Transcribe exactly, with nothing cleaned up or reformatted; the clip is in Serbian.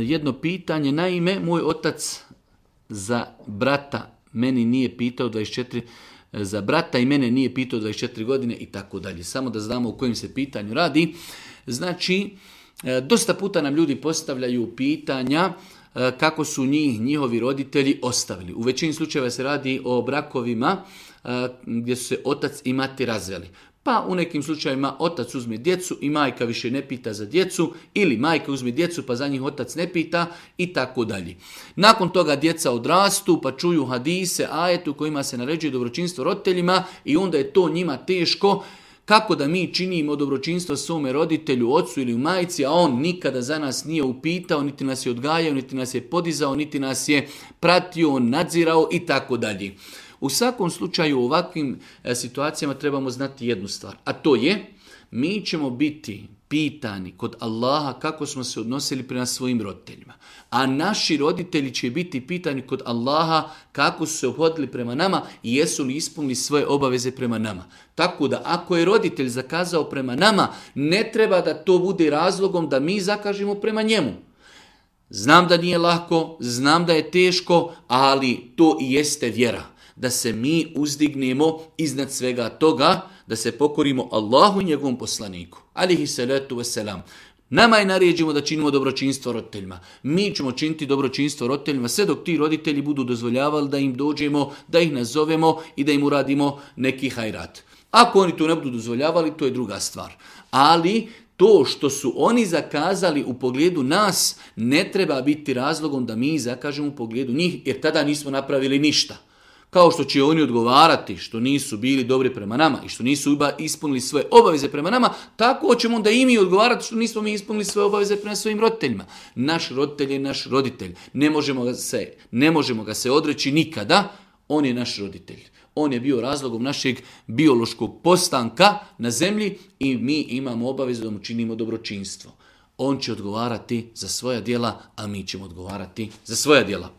jedno pitanje. Naime, moj otac za brata meni nije pitao dvadeset četiri, za brata i mene nije pitao dvadeset četiri godine i tako dalje. Samo da znamo o kojim se pitanju radi. Znači, dosta puta nam ljudi postavljaju pitanja kako su njih, njihovi roditelji ostavili. U većini slučajeva se radi o brakovima gdje su se otac i mati razveli. Pa u nekim slučajevima otac uzme djecu i majka više ne pita za djecu, ili majka uzme djecu pa za njih otac ne pita i tako dalje. Nakon toga djeca odrastu pa čuju hadise, ajetu kojima se naređuje dobročinstvo roditeljima i onda je to njima teško. Kako da mi činimo dobročinstvo svome roditelju, ocu ili majci, a on nikada za nas nije upitao, niti nas je odgajao, niti nas je podizao, niti nas je pratio, nadzirao i tako dalje. U svakom slučaju u ovakvim situacijama trebamo znati jednu stvar, a to je mi ćemo biti pitani kod Allaha kako smo se odnosili prema svojim roditeljima, a naši roditelji će biti pitani kod Allaha kako su se ophodili prema nama i jesu li ispunili svoje obaveze prema nama. Tako da ako je roditelj zakazao prema nama, ne treba da to bude razlogom da mi zakažemo prema njemu. Znam da nije lako, znam da je teško, ali to i jeste vjera. Da se mi uzdignemo iznad svega toga, da se pokorimo Allahu i njegovom poslaniku. Alihi salatu wasalam. Nama je naređeno da činimo dobročinstvo roditeljima. Mi ćemo činiti dobročinstvo roditeljima sve dok ti roditelji budu dozvoljavali da im dođemo, da ih nazovemo i da im uradimo neki hajrat. Ako oni to ne budu dozvoljavali, to je druga stvar. Ali to što su oni zakazali u pogledu nas ne treba biti razlogom da mi zakažemo u pogledu njih, jer tada nismo napravili ništa. Kao što će oni odgovarati što nisu bili dobri prema nama i što nisu ispunili svoje obaveze prema nama, tako ćemo onda i mi odgovarati što nismo mi ispunili svoje obaveze prema svojim roditeljima. Naš roditelj je naš roditelj. Ne možemo ga se, ne možemo ga se odreći nikada. On je naš roditelj. On je bio razlogom našeg biološkog postanka na zemlji i mi imamo obavezu da mu činimo dobročinstvo. On će odgovarati za svoja djela, a mi ćemo odgovarati za svoja djela.